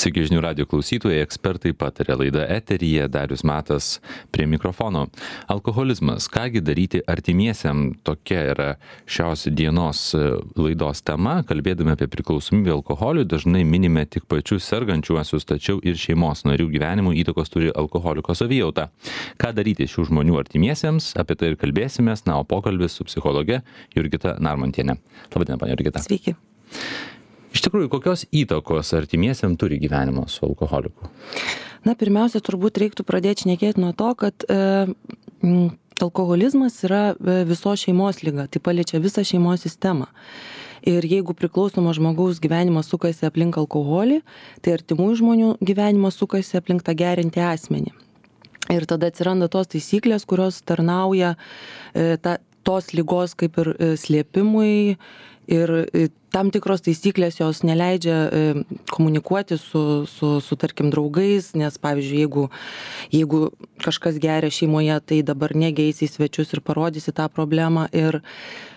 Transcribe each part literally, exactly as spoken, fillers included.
Sveiki žinių radio klausytojai, ekspertai pataria, laida eteryje, Darius Matas prie mikrofono. Alkoholizmas, kągi daryti artimiesiam, tokia yra šios dienos laidos tema. Kalbėdami apie priklausomybę alkoholiui, dažnai minime tik pačius sergančiuosius, tačiau ir šeimos narių gyvenimų įtakos turi alkoholiko savijauta. Ką daryti šių žmonių artimiesiems, apie tai ir kalbėsimės, na, o pokalbis su psichologe Jurgita Narmontiene. Labadiena, ponia Jurgita. Sveiki. Iš tikrųjų, kokios įtakos artimiesiam turi gyvenimas su alkoholiku? Na, pirmiausia, turbūt reiktų pradėti šnekėti nuo to, kad e, m, alkoholizmas yra visos šeimos liga, tai paliečia visą šeimos sistemą. Ir jeigu priklausomo žmogaus gyvenimas sukasi aplink alkoholį, tai artimųjų žmonių gyvenimas sukasi aplink tą geriantį asmenį. Ir tada atsiranda tos taisyklės, kurios tarnauja e, ta, tos ligos kaip ir e, slėpimui. Ir tam tikros taisyklės jos neleidžia komunikuoti su, su, su tarkim, draugais, nes, pavyzdžiui, jeigu, jeigu kažkas geria šeimoje, tai dabar negeisi į svečius ir parodysi tą problemą. Ir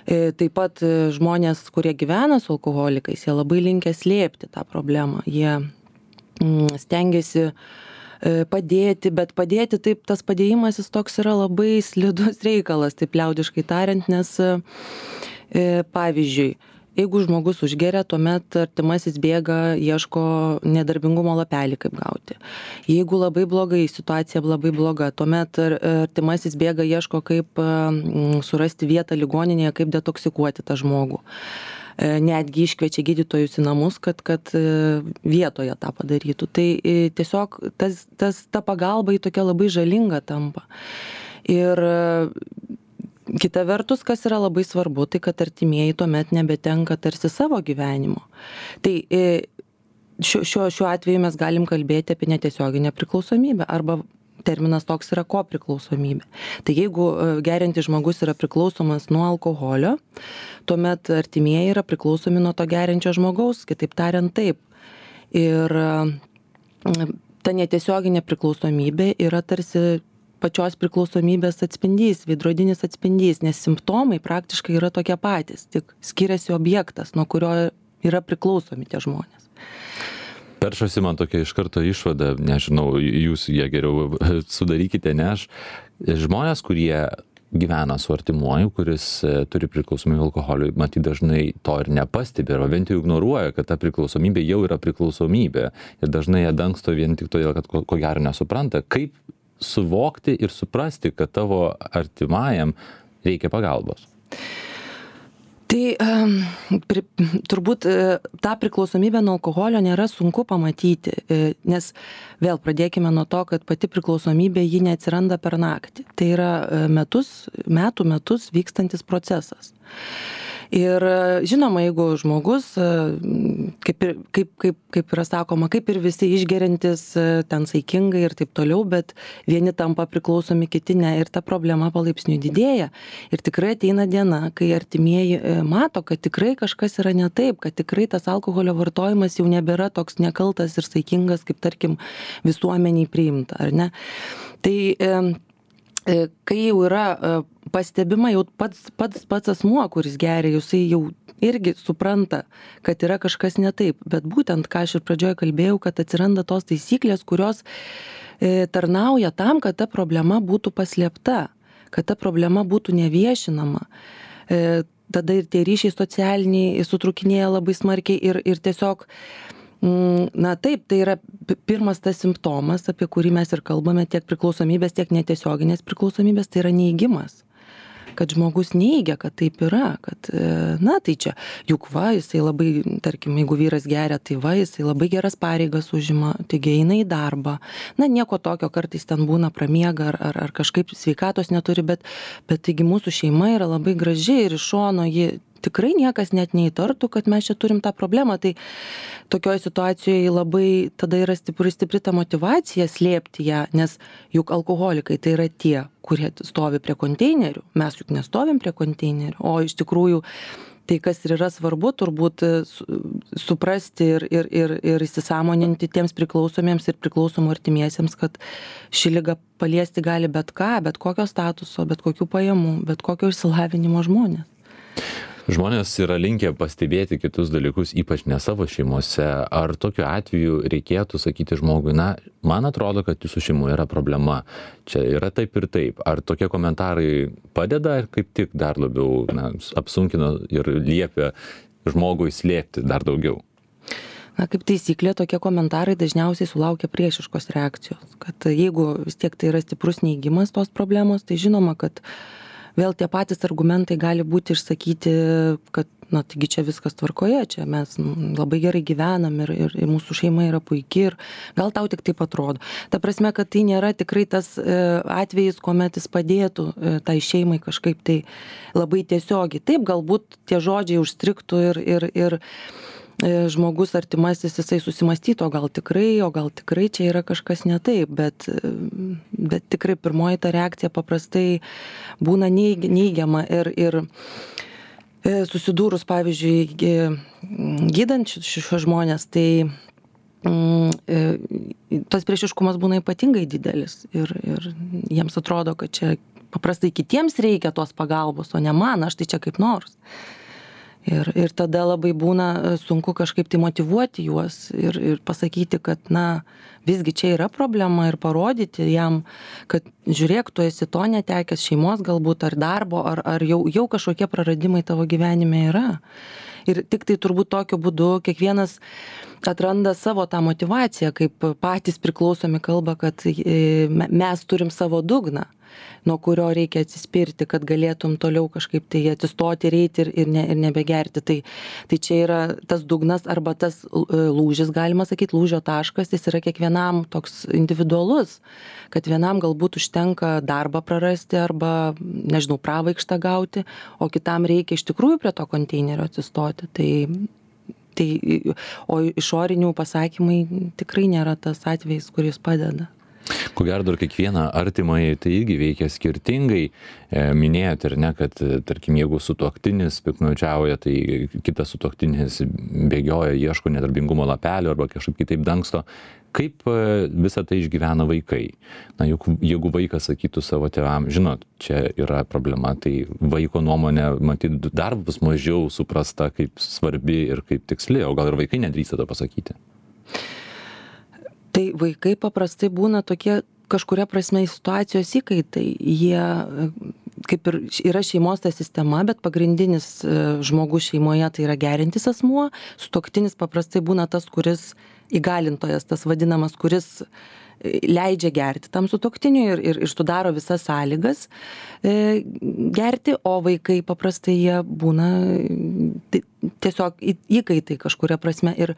taip pat žmonės, kurie gyvena su alkoholikais, jie labai linkę slėpti tą problemą. Jie stengiasi padėti, bet padėti taip, tas padėjimas jis toks yra labai slidus reikalas, taip liaudiškai tariant, nes pavyzdžiui, jeigu žmogus užgeria, tuomet artimasis bėga, ieško nedarbingumo lapelį, kaip gauti. Jeigu labai blogai, situacija labai bloga, tuomet artimasis bėga, ieško, kaip surasti vietą ligoninėje, kaip detoksikuoti tą žmogų. Netgi iškviečia gydytojus į namus, kad, kad vietoje tą padarytų. Tai tiesiog tas, tas, ta pagalba į tokia labai žalinga tampa. Ir kita vertus, kas yra labai svarbu, tai kad artimieji tuomet nebetenka tarsi savo gyvenimo. Tai šiuo, šiuo, šiuo atveju mes galim kalbėti apie netiesioginę priklausomybę arba terminas toks yra kopriklausomybė. Tai jeigu geriantis žmogus yra priklausomas nuo alkoholio, tuomet artimieji yra priklausomi nuo to geriančio žmogaus, kitaip tariant taip. Ir ta netiesioginė priklausomybė yra tarsi pačios priklausomybės atspindys, veidrodinis atspindys, nes simptomai praktiškai yra tokie patys, tik skiriasi objektas, nuo kurio yra priklausomi tie žmonės. Peršasi man tokia iš karto išvada, nežinau, jūs ją geriau sudarykite, ne aš. Žmonės, kurie gyvena su artimuoju, kuris turi priklausomybę alkoholiui, matyt dažnai to ir nepastebi, arba bent jau ignoruoja, kad ta priklausomybė jau yra priklausomybė. Ir dažnai ją dangsto vien tik todėl, kad ko, ko gero nesupranta, kaip suvokti ir suprasti, kad tavo artimajam reikia pagalbos. Tai um, pri, turbūt tą priklausomybę nuo alkoholio nėra sunku pamatyti, nes vėl pradėkime nuo to, kad pati priklausomybė ji neatsiranda per naktį. Tai yra metus, metų metus vykstantis procesas. Ir žinoma, jeigu žmogus, kaip, ir, kaip, kaip, kaip yra sakoma, kaip ir visi išgeriantis, ten saikingai ir taip toliau, bet vieni tampa priklausomi, kiti ne, ir ta problema palaipsniui didėja. Ir tikrai ateina diena, kai artimieji mato, kad tikrai kažkas yra ne taip, kad tikrai tas alkoholio vartojimas jau nebėra toks nekaltas ir saikingas, kaip tarkim visuomeniai priimta, ar ne? Tai kai jau yra pastebima, jau pats, pats, pats asmuo, kuris geria, jisai jau irgi supranta, kad yra kažkas ne taip. Bet būtent, ką aš ir pradžioje kalbėjau, kad atsiranda tos taisyklės, kurios e, tarnauja tam, kad ta problema būtų paslėpta, kad ta problema būtų neviešinama. E, tada ir tie ryšiai socialiniai sutrukinėja labai smarkiai ir, ir tiesiog na taip, tai yra pirmas tas simptomas, apie kurį mes ir kalbame, tiek priklausomybės, tiek netiesioginės priklausomybės, tai yra neigimas. Kad žmogus neigia, kad taip yra, kad, na tai čia, juk va, jisai labai, tarkim, jeigu vyras geria, tai va, jisai labai geras pareigas užima, taigi eina į darbą. Na, nieko tokio, kartais ten būna pramiega ar, ar, ar kažkaip sveikatos neturi, bet, bet taigi mūsų šeima yra labai graži ir iš šono ji tikrai niekas net neįtartų, kad mes čia turim tą problemą. Tai tokioje situacijoje labai tada yra stipri, stipri ta motyvacija slėpti ją, nes juk alkoholikai tai yra tie, kurie stovi prie konteinerių. Mes juk nestovim prie konteinerių. O iš tikrųjų, tai kas ir yra svarbu, turbūt suprasti ir, ir, ir, ir įsisąmoninti tiems priklausomiems ir priklausomų artimiesiems, kad ši liga paliesti gali bet ką, bet kokio statuso, bet kokių pajamų, bet kokio išsilavinimo žmonės. Žmonės yra linkę pastebėti kitus dalykus, ypač ne savo šeimose. Ar tokiu atveju reikėtų sakyti žmogui, na, man atrodo, kad jūsų šeimoje yra problema, čia yra taip ir taip. Ar tokie komentarai padeda, ar kaip tik dar labiau na, apsunkina ir liepia žmogui slėpti dar daugiau? Na, kaip taisyklė, tokie komentarai dažniausiai sulaukia priešiškos reakcijos. Kad jeigu vis tiek tai yra stiprus neigimas tos problemos, tai žinoma, kad vėl tie patys argumentai gali būti išsakyti, kad, na, taigi čia viskas tvarkoje, čia mes labai gerai gyvenam ir, ir, ir mūsų šeima yra puikiai ir gal tau tik taip atrodo. Ta prasme, kad tai nėra tikrai tas atvejis, kuomet jis padėtų tai šeimai kažkaip tai labai tiesiogiai. Taip, galbūt tie žodžiai užstriktų ir, ir, ir žmogus artimasis jisai susimastytų, o gal tikrai, o gal tikrai čia yra kažkas ne taip, bet, bet tikrai pirmoji ta reakcija paprastai būna neigiama ir, ir susidūrus, pavyzdžiui, gydant šios žmonės, tai tas priešiškumas būna ypatingai didelis ir, ir jiems atrodo, kad čia paprastai kitiems reikia tos pagalbos, o ne man, aš tai čia kaip nors. Ir, ir tada labai būna sunku kažkaip tai motyvuoti juos ir, ir pasakyti, kad, na, visgi čia yra problema ir parodyti jam, kad žiūrėk, tu esi to netekęs šeimos galbūt ar darbo, ar, ar jau, jau kažkokie praradimai tavo gyvenime yra. Ir tik tai turbūt tokiu būdu kiekvienas atranda savo tą motyvaciją, kaip patys priklausomi kalba, kad mes turim savo dugną, nuo kurio reikia atsispirti, kad galėtum toliau kažkaip tai atsistoti, reiti ir, ir, ne, ir nebegerti. Tai, tai čia yra tas dugnas arba tas lūžis, galima sakyti, lūžio taškas, jis yra kiekvienam toks individualus, kad vienam galbūt užtenka darbą prarasti arba, nežinau, pravaikštą gauti, o kitam reikia iš tikrųjų prie to konteinerio atsistoti. Tai, tai, o išorinių pasakymai tikrai nėra tas atvejis, kuris padeda. Ko gero dar kiekvieną artimai tai irgi veikia skirtingai. Minėjot ir ne, kad tarkim, jeigu sutuoktinis piktnaudžiauja, tai kitas sutuoktinis bėgioja, ieško nedarbingumo lapelio arba kažkaip kitaip dangsto. Kaip visą tai išgyvena vaikai? Na, juk, jeigu vaikas sakytų savo tėvam, žinot, čia yra problema, tai vaiko nuomonė, matyt, dar bus mažiau suprasta kaip svarbi ir kaip tiksli, o gal ir vaikai nedrįsta to pasakyti. Tai vaikai paprastai būna tokie kažkuria prasme situacijos įkaitai. Jie kaip ir yra šeimos ta sistema, bet pagrindinis žmogus šeimoje tai yra geriantis asmuo. Sutuoktinis paprastai būna tas, kuris įgalintojas, tas vadinamas, kuris leidžia gerti tam sutuoktiniui ir, ir, ir sudaro visas sąlygas e, gerti, o vaikai paprastai jie būna tai, tiesiog įkaitai kažkuria prasme. Ir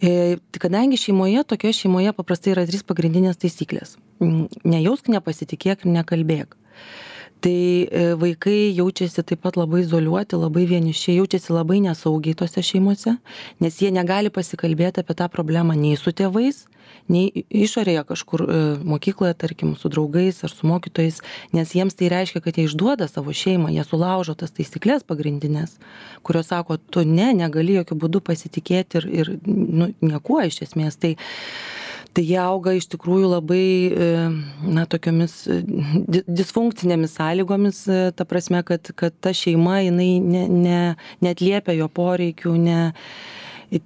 e, kadangi šeimoje, tokioje šeimoje paprastai yra trys pagrindinės taisyklės. Nejausk, nepasitikėk ir nekalbėk. Tai vaikai jaučiasi taip pat labai izoliuoti, labai vieniši, jaučiasi labai nesaugiai tose šeimose, nes jie negali pasikalbėti apie tą problemą nei su tėvais, nei išorėje kažkur mokykloje, tarkim, su draugais ar su mokytojais, nes jiems tai reiškia, kad jie išduoda savo šeimą, jie sulaužo tas taisyklės pagrindinės, kurios sako, tu ne, negali jokių būdų pasitikėti ir, ir nu, niekuo iš esmės. Tai Tai jie auga iš tikrųjų labai, na, tokiomis disfunkcinėmis sąlygomis, ta prasme, kad, kad ta šeima, jinai ne, ne, neatliepia jo poreikių, ne,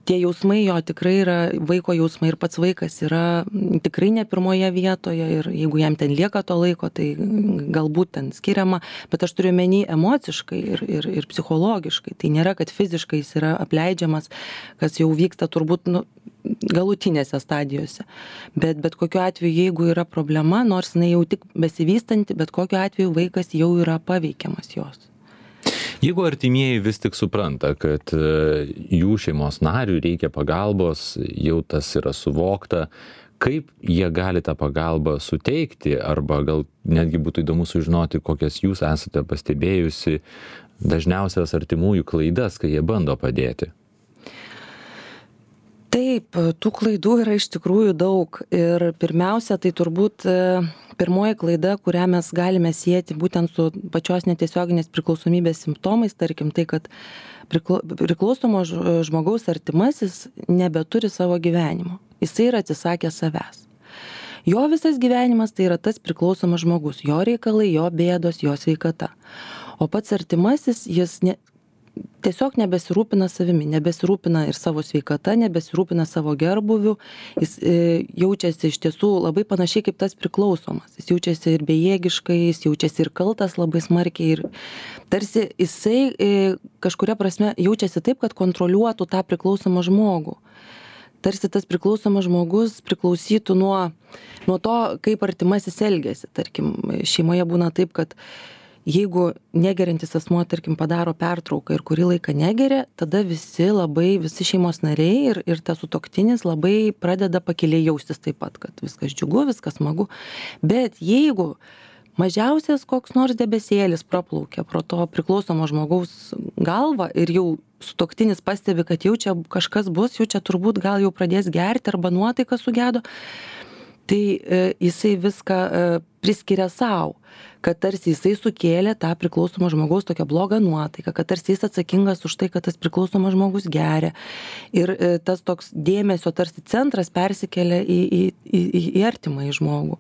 tie jausmai jo tikrai yra, vaiko jausmai ir pats vaikas yra tikrai ne pirmoje vietoje ir jeigu jam ten lieka to laiko, tai galbūt ten skiriama, bet aš turiu menį emociškai ir, ir, ir psichologiškai. Tai nėra, kad fiziškai jis yra apleidžiamas, kas jau vyksta turbūt, nu, galutinėse stadijose. Bet, bet kokiu atveju, jeigu yra problema, nors jinai jau tik besivystanti, bet kokiu atveju vaikas jau yra paveikiamas jos. Jeigu artimieji vis tik supranta, kad jų šeimos nariui reikia pagalbos, jau tas yra suvokta, kaip jie gali tą pagalbą suteikti, arba gal netgi būtų įdomu sužinoti, kokias jūs esate pastebėjusi dažniausias artimųjų klaidas, kai jie bando padėti. Taip, tų klaidų yra iš tikrųjų daug ir pirmiausia, tai turbūt pirmoji klaida, kurią mes galime sieti būtent su pačios netiesioginės priklausomybės simptomais, tarkim tai, kad priklausomo žmogaus artimasis nebeturi savo gyvenimo, jisai yra atsisakęs savęs. Jo visas gyvenimas tai yra tas priklausomas žmogus, jo reikalai, jo bėdos, jo sveikata. O pats artimasis, jis ne, tiesiog nebesirūpina savimi, nebesirūpina ir savo sveikata, nebesirūpina savo gerbuviu, jis e, jaučiasi iš tiesų labai panašiai kaip tas priklausomas, jis jaučiasi ir bejėgiškai, jis jaučiasi ir kaltas labai smarkiai ir tarsi jisai e, kažkuria prasme jaučiasi taip, kad kontroliuotų tą priklausomą žmogų. Tarsi tas priklausomas žmogus priklausytų nuo, nuo to, kaip artimasis elgiasi. Tarkim, šeimoje būna taip, kad jeigu negeriantis asmuo, tarkim, padaro pertrauką ir kurį laiką negeria, tada visi labai, visi šeimos nariai ir, ir tas sutuoktinis labai pradeda pakiliai jaustis taip pat, kad viskas džiugu, viskas smagu. Bet jeigu mažiausias koks nors debesėlis praplaukia pro to priklausomo žmogaus galvą ir jau sutuoktinis pastebi, kad jau čia kažkas bus, jau čia turbūt gal jau pradės gerti arba nuotaika sugedo, tai e, jisai viską e, priskiria savo, kad tarsi jisai sukėlė tą priklausomą žmogaus tokią blogą nuotaiką, kad tarsi jis atsakingas už tai, kad tas priklausomas žmogus geria. Ir e, tas toks dėmesio tarsi centras persikelia į, į, į, į artimąjį žmogų,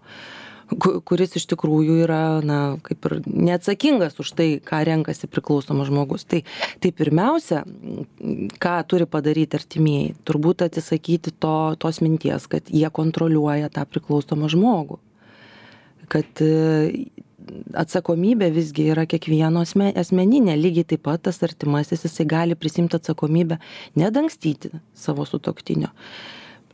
kuris iš tikrųjų yra, na, kaip ir neatsakingas už tai, ką renkasi priklausomas žmogus. Tai, tai pirmiausia, ką turi padaryti artimieji, turbūt atsisakyti to, tos minties, kad jie kontroliuoja tą priklausomą žmogų. Kad atsakomybė visgi yra kiekvieno asmeninė, lygiai taip pat tas artimasis, jisai gali prisimti atsakomybę, nedangstyti savo sutuoktinio.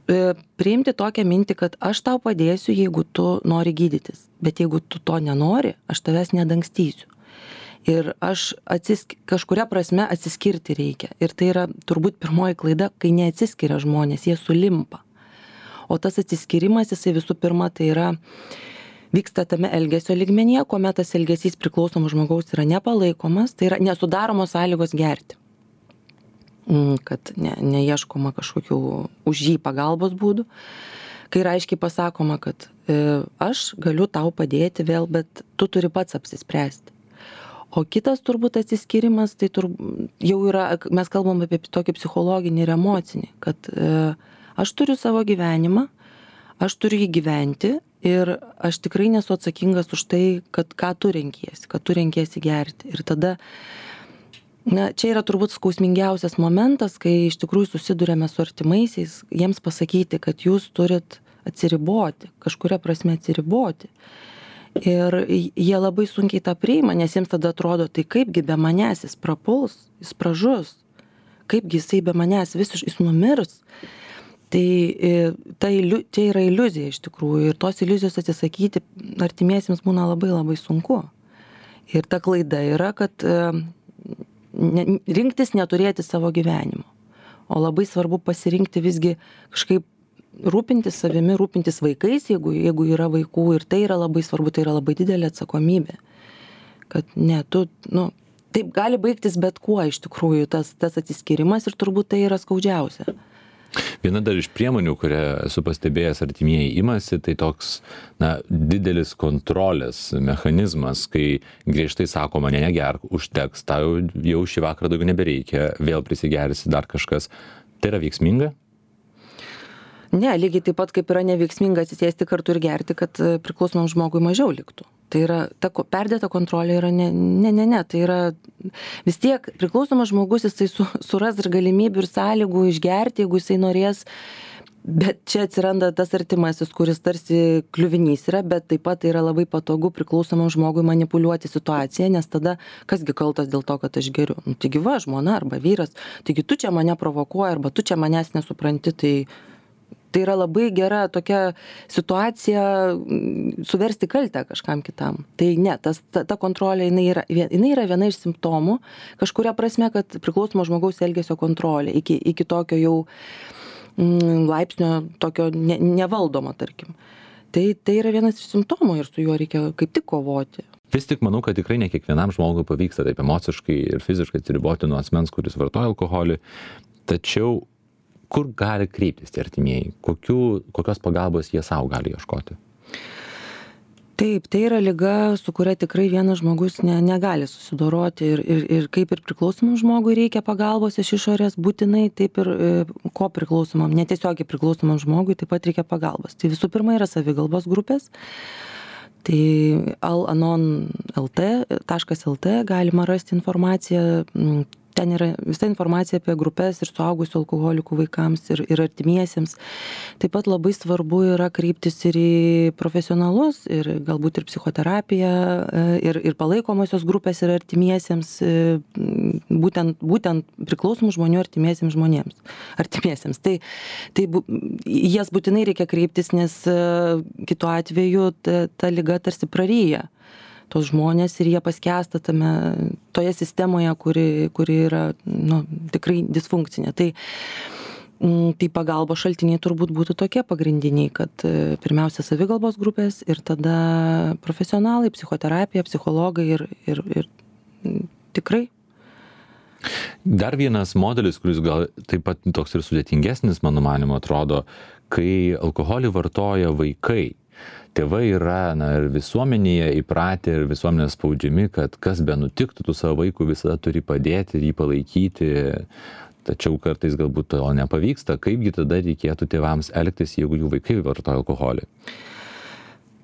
Priimti tokią mintį, kad aš tau padėsiu, jeigu tu nori gydytis, bet jeigu tu to nenori, aš tavęs nedangstysiu. Ir aš atsisk... kažkuria prasme atsiskirti reikia. Ir tai yra turbūt pirmoji klaida, kai neatsiskiria žmonės, jie sulimpa. O tas atsiskirimas, jisai visų pirma, tai yra vyksta tame elgesio lygmenyje, kuomet tas elgesys priklausomo žmogaus yra nepalaikomas, tai yra nesudaromos sąlygos gerti. Kad ne, neieškoma kažkokių už jį pagalbos būdų, kai yra aiškiai pasakoma, kad e, aš galiu tau padėti vėl, bet tu turi pats apsispręsti. O kitas turbūt atsiskirimas, tai tur, jau yra, mes kalbam apie tokį psichologinį ir emocinį, kad e, aš turiu savo gyvenimą, aš turiu jį gyventi ir aš tikrai nesu atsakingas už tai, kad ką tu renkiesi, kad tu renkiesi gerti. Ir tada na, čia yra turbūt skausmingiausias momentas, kai iš tikrųjų susidurėme su artimaisiais, jiems pasakyti, kad jūs turit atsiriboti, kažkuria prasme atsiriboti. Ir jie labai sunkiai tą priima, nes jiems tada atrodo, tai kaipgi be manęs jis prapuls, jis pražus, kaipgi jisai be manęs visiš, jis numirs. Tai ta, čia yra iliuzija iš tikrųjų ir tos iliuzijos atsisakyti artimiesiems būna labai labai sunku. Ir ta klaida yra, kad Ne, rinktis neturėti savo gyvenimo, o labai svarbu pasirinkti visgi kažkaip rūpintis savimi, rūpintis vaikais, jeigu, jeigu yra vaikų, ir tai yra labai svarbu, tai yra labai didelė atsakomybė, kad ne, tu, nu, taip gali baigtis bet kuo iš tikrųjų tas, tas atsiskirimas ir turbūt tai yra skaudžiausia. Viena dar iš priemonių, kurią esu pastebėjęs artimieji imasi, tai toks na, didelis kontrolės mechanizmas, kai griežtai sakoma, ne, negerk, užteks, tau jau šį vakarą daugiau nebereikia, vėl prisigersi dar kažkas. Tai yra veiksminga? Ne, lygiai taip pat kaip yra neveiksminga atsisėsti kartu ir gerti, kad priklausomam žmogui mažiau liktų. Tai yra, ta perdėta kontrolė yra ne, ne, ne, ne, tai yra vis tiek priklausomas žmogus, jisai su, suras ir galimybių ir sąlygų išgerti, jeigu jisai norės, bet čia atsiranda tas artimasis, kuris tarsi kliuvinys yra, bet taip pat yra labai patogu priklausomam žmogui manipuliuoti situaciją, nes tada kasgi kaltas dėl to, kad aš geriu. Nu, taigi va, žmona arba vyras, taigi tu čia mane provokuoji arba tu čia manęs nesupranti, tai Tai yra labai gera tokia situacija suversti kaltę kažkam kitam. Tai ne, tas, ta, ta kontrolė, jinai yra, jinai yra viena iš simptomų, kažkuria prasme, kad priklausomo žmogaus elgesio kontrolė iki, iki tokio jau mm, laipsnio, tokio ne, nevaldomo, tarkim. Tai, tai yra vienas iš simptomų ir su juo reikia kaip tik kovoti. Vis tik manau, kad tikrai ne kiekvienam žmogui pavyksta taip emociškai ir fiziškai atsiriboti nuo asmens, kuris vartoja alkoholį, tačiau kur gali kreiptis tie artimieji? Kokių, kokios pagalbos jie savo gali ieškoti? Taip, tai yra liga, su kuria tikrai vienas žmogus ne, negali susidoroti ir, ir, ir kaip ir priklausomam žmogui reikia pagalbos iš išorės būtinai, taip ir e, ko priklausomam, netiesiogiai priklausomam žmogui taip pat reikia pagalbos. Tai visų pirma yra savigalbos grupės. Tai al anon taškas lt galima rasti informaciją. ten yra visa informacija apie grupės ir suaugusių alkoholikų vaikams ir, ir artimiesiems. Taip pat labai svarbu yra kreiptis ir į profesionalus, ir galbūt ir psichoterapiją, ir, ir palaikomosios grupės ir artimiesiems, būtent, būtent priklausomų žmonių artimiesiems žmonėms. Artimiesiems. Tai, tai bu, jas būtinai reikia kreiptis, nes kitu atveju ta, ta liga tarsi praryja tos žmonės ir jie paskęsta tame, toje sistemoje, kuri, kuri yra nu, tikrai disfunkcinė. Tai, tai pagalbos šaltiniai turbūt būtų tokie pagrindiniai, kad pirmiausia savigalbos grupės ir tada profesionalai, psichoterapija, psichologai ir, ir, ir tikrai. Dar vienas modelis, kuris gal taip pat toks ir sudėtingesnis, mano manimo, atrodo, kai alkoholį vartoja vaikai. Tėvai yra na, ir visuomenėje įpratę ir visuomenės spaudžiami, kad kas be nutiktų, tu savo vaikų visada turi padėti ir jį palaikyti, tačiau kartais galbūt to nepavyksta. Kaipgi tada reikėtų tėvams elgtis, jeigu jų vaikai vartoja alkoholį?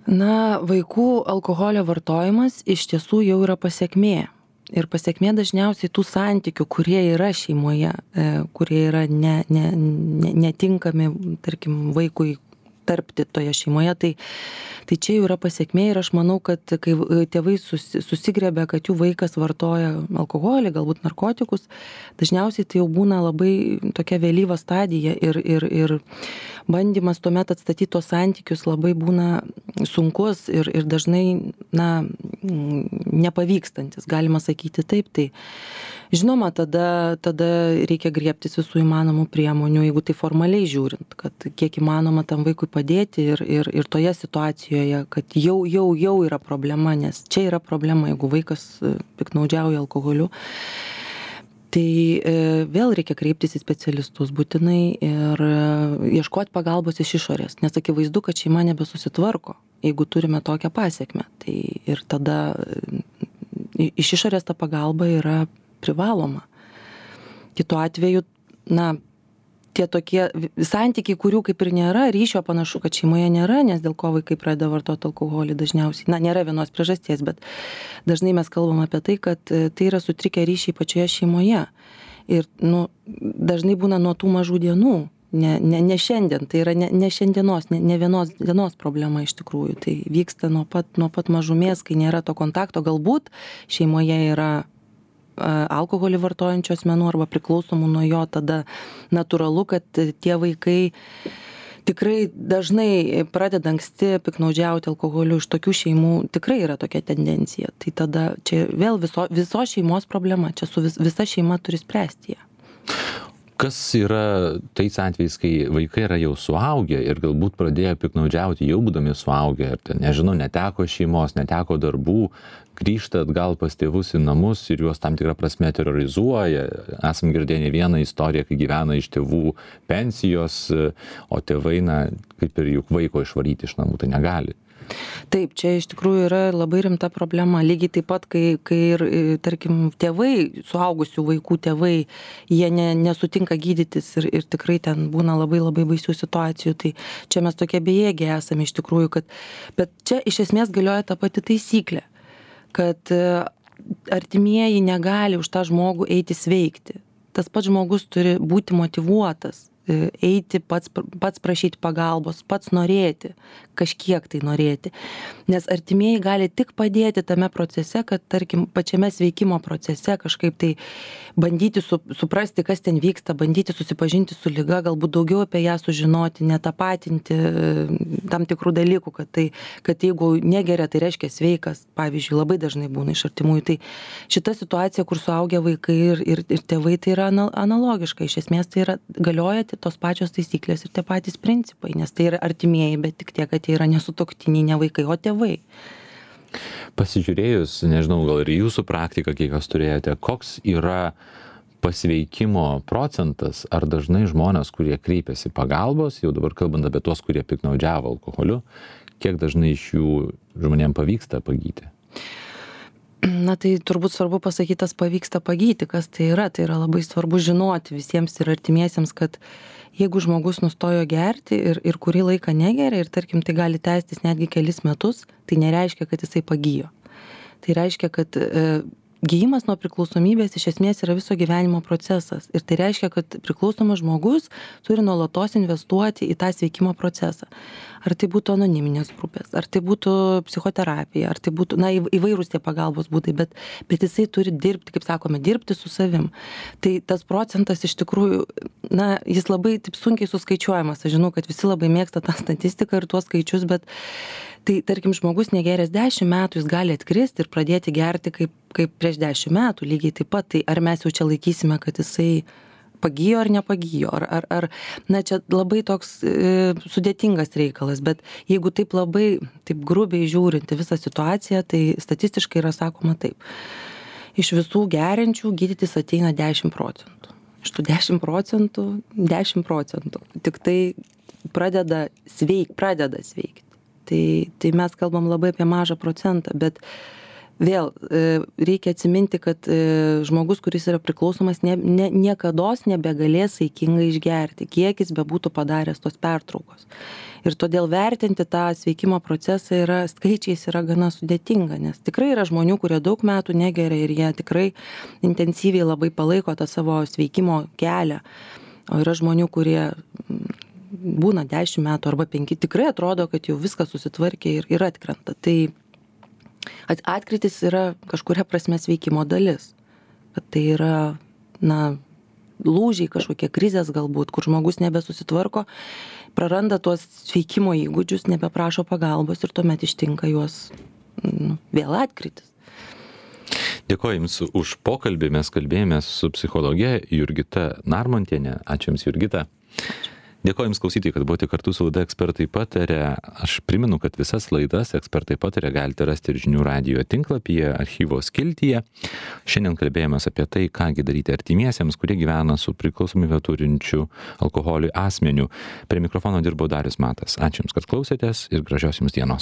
Na, vaikų alkoholio vartojimas iš tiesų jau yra pasiekmė. Ir pasiekmė dažniausiai tų santykių, kurie yra šeimoje, kurie yra ne, ne, ne, netinkami, tarkim, vaikui tarpti toje šeimoje, tai, tai čia jau yra pasiekmė ir aš manau, kad kai tėvai susi, susigrebia, kad jų vaikas vartoja alkoholį, galbūt narkotikus, dažniausiai tai jau būna labai tokia vėlyva stadija ir, ir, ir bandymas tuomet atstatyti tos santykius labai būna sunkus ir, ir dažnai na, nepavykstantis, galima sakyti taip. Tai žinoma, tada, tada reikia griebtis visų įmanomų priemonių, jeigu tai formaliai žiūrint, kad kiek įmanoma tam vaikui padėti ir, ir, ir toje situacijoje, kad jau, jau, jau yra problema, nes čia yra problema, jeigu vaikas piktnaudžiauja alkoholiu. Tai e, vėl reikia kreiptis į specialistus būtinai ir e, ieškoti pagalbos iš išorės, nes akivaizdu, kad šeima nebesusitvarko, jeigu turime tokią pasiekmę. Tai ir tada e, iš išorės ta pagalba yra privaloma. Kitu atveju, na, tie tokie santykiai, kurių kaip ir nėra, ryšio panašu, kad šeimoje nėra, nes dėl ko vaikai pradeda vartoti alkoholį dažniausiai. Na, nėra vienos priežasties, bet dažnai mes kalbam apie tai, kad tai yra sutrikę ryšiai pačioje šeimoje. Ir, nu, dažnai būna nuo tų mažų dienų, ne, ne, ne šiandien, tai yra ne, ne šiandienos, ne, ne vienos dienos problema iš tikrųjų. Tai vyksta nuo pat, nuo pat mažumės, kai nėra to kontakto. Galbūt šeimoje yra alkoholį vartojančių asmenų arba priklausomų nuo jo, tada natūralu, kad tie vaikai tikrai dažnai pradeda anksti piktnaudžiauti alkoholiu. Iš tokių šeimų tikrai yra tokia tendencija. Tai tada čia vėl viso, viso šeimos problema, čia su vis, visa šeima turi spręsti ją. Kas yra tais atvejais, kai vaikai yra jau suaugę ir galbūt pradėjo piktnaudžiauti jau būdami suaugę ir, ten, nežinau, neteko šeimos, neteko darbų, grįžta atgal pas tėvus į namus ir juos tam tikrą prasme terrorizuoja. Esam girdėję ne vieną istoriją, kai gyvena iš tėvų pensijos, o tėvai, na, kaip ir juk vaiko išvaryti iš namų, tai negali. Taip, čia iš tikrųjų yra labai rimta problema. Lygiai taip pat, kai, kai ir, tarkim, tėvai, suaugusių vaikų tėvai, jie ne, nesutinka gydytis ir, ir tikrai ten būna labai labai baisių situacijų. Tai čia mes tokie bejėgiai esame iš tikrųjų, kad, bet čia iš esmės galioja ta pati taisyklė, kad artimieji negali už tą žmogų eiti sveikti. Tas pats žmogus turi būti motyvuotas, eiti pats, pats prašyti pagalbos, pats norėti, kažkiek tai norėti. Nes artimieji gali tik padėti tame procese, kad, tarkim, pačiame sveikimo procese kažkaip tai bandyti su, suprasti, kas ten vyksta, bandyti susipažinti su liga, galbūt daugiau apie ją sužinoti, netapatinti tam tikrų dalykų, kad, tai, kad jeigu negeria, tai reiškia sveikas, pavyzdžiui, labai dažnai būna iš artimųjų. Tai šita situacija, kur suaugę vaikai ir, ir, ir tėvai, tai yra analogiška. Iš esmės tai yra galiojate tos pačios taisyklės ir tie patys principai, nes tai yra artimieji, bet tik tiek, kad jie yra nesutuoktiniai, ne vaikai, o tėvai. Pasižiūrėjus, nežinau, gal ir jūsų praktiką, kiek jūs turėjote, koks yra pasveikimo procentas, ar dažnai žmonės, kurie kreipiasi pagalbos, jau dabar kalbant apie tuos, kurie piktnaudžiavo alkoholiu, kiek dažnai iš jų žmonėms pavyksta pagyti? Na tai turbūt svarbu pasakyti, tas pavyksta pagyti, kas tai yra. Tai yra labai svarbu žinoti visiems ir artimiesiems, kad jeigu žmogus nustojo gerti ir, ir kurį laiką negeria ir tarkim tai gali tęstis netgi kelis metus, tai nereiškia, kad jisai pagijo. Tai reiškia, kad e, gijimas nuo priklausomybės iš esmės yra viso gyvenimo procesas. Ir tai reiškia, kad priklausomas žmogus turi nuolatos investuoti į tą sveikimo procesą. Ar tai būtų anoniminės grupės, ar tai būtų psichoterapija, ar tai būtų, na, įvairūs tie pagalbos būdai, bet, bet jisai turi dirbti, kaip sakome, dirbti su savim. Tai tas procentas iš tikrųjų, na, jis labai taip sunkiai suskaičiuojamas. Aš žinau, kad visi labai mėgsta tą statistiką ir tuos skaičius, bet tai, tarkim, žmogus negeręs dešimt metų, jis gali atkristi ir pradėti gerti kaip, kaip prieš dešimt metų, lygiai taip pat. Tai ar mes jau čia laikysime, kad jisai pagijo ar nepagijo, ar, ar, ar, na, čia labai toks e, sudėtingas reikalas, bet jeigu taip labai, taip grubiai žiūrinti visą situaciją, tai statistiškai yra sakoma taip. Iš visų geriančių gydytis ateina dešimt procentų. Iš tų dešimt procentų, dešimt procentų. Tik tai pradeda sveik, pradeda sveikti. Tai, tai mes kalbam labai apie mažą procentą, bet vėl reikia atsiminti, kad žmogus, kuris yra priklausomas, ne, ne, niekados nebegalės saikingai išgerti, kiek jis bebūtų padaręs tos pertraukos. Ir todėl vertinti tą sveikimo procesą yra, skaičiais yra gana sudėtinga, nes tikrai yra žmonių, kurie daug metų negeria ir jie tikrai intensyviai labai palaiko tą savo sveikimo kelią. O yra žmonių, kurie būna dešimt metų arba penki, tikrai atrodo, kad jau viskas susitvarkė ir, ir atkrenta. Tai atkritis yra kažkuria prasme sveikimo dalis. Kad tai yra, na, lūžiai kažkokie, krizės galbūt, kur žmogus nebesusitvarko, praranda tuos sveikimo įgūdžius, nebeprašo pagalbos ir tuomet ištinka juos, nu, vėl atkritis. Dėkoju Jums už pokalbį. Mes kalbėjomės su psichologė Jurgita Narmontienė. Ačiū Jums, Jurgita. Ačiū. Dėkoju Jums klausytojai, kad buvote kartu su laida Ekspertai pataria. Aš primenu, kad visas laidas Ekspertai pataria galite rasti ir Žinių radijo tinklapyje, archyvo skiltyje. Šiandien kalbėjomės apie tai, kągi daryti artimiesiems, kurie gyvena su priklausomybę turinčiu alkoholiui asmeniu. Prie mikrofono dirbo Darius Matas. Ačiū Jums, kad klausėtės ir gražios Jums dienos.